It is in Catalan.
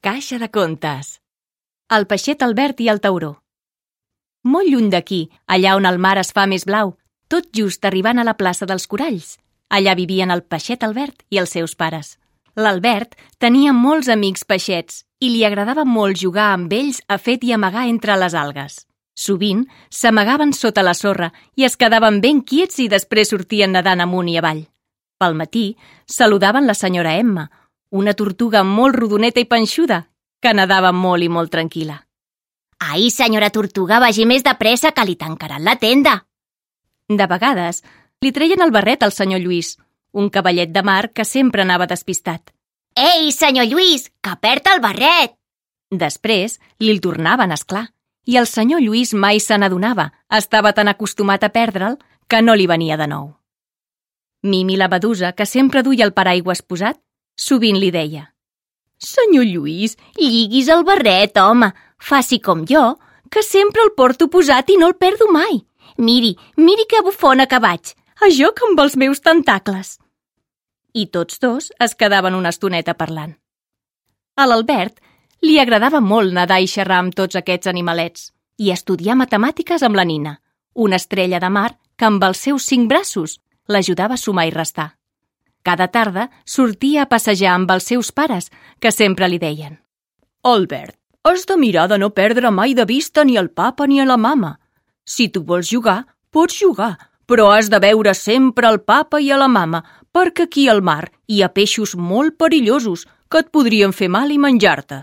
Caixa de contes. El peixet Albert i el tauró. Molt lluny d'aquí, allà on el mar es fa més blau, tot just arribant a la plaça dels Coralls. Allà vivien el peixet Albert i els seus pares. L'Albert tenia molts amics peixets i li agradava molt jugar amb ells a fet i amagar entre les algues. Sovint s'amagaven sota la sorra i es quedaven ben quiets i després sortien nedant amunt i avall. Pel matí saludaven la senyora Emma, una tortuga molt rodoneta i panxuda, que nedava molt i molt tranquil·la. Ai, senyora tortuga, vagi més de pressa, que li tancaran la tenda. De vegades li treien el barret al senyor Lluís, un cavallet de mar que sempre anava despistat. Ei, senyor Lluís, que perd el barret! Després li el tornaven, esclar, i el senyor Lluís mai se n'adonava, estava tan acostumat a perdre'l que no li venia de nou. Mimi la medusa, que sempre duia el paraigües posat, sovint li deia: «Senyor Lluís, lliguis el barret, home, faci com jo, que sempre el porto posat i no el perdo mai. Miri que bufona que vaig, a joc amb els meus tentacles». I tots dos es quedaven una estoneta parlant. A l'Albert li agradava molt nedar i xerrar amb tots aquests animalets i estudiar matemàtiques amb la Nina, una estrella de mar que amb els seus 5 braços l'ajudava a sumar i restar. Cada tarda sortia a passejar amb els seus pares, que sempre li deien: «Albert, has de mirar de no perdre mai de vista ni el papa ni a la mama. Si tu vols jugar, pots jugar, però has de veure sempre el papa i a la mama, perquè aquí al mar hi ha peixos molt perillosos que et podrien fer mal i menjar-te».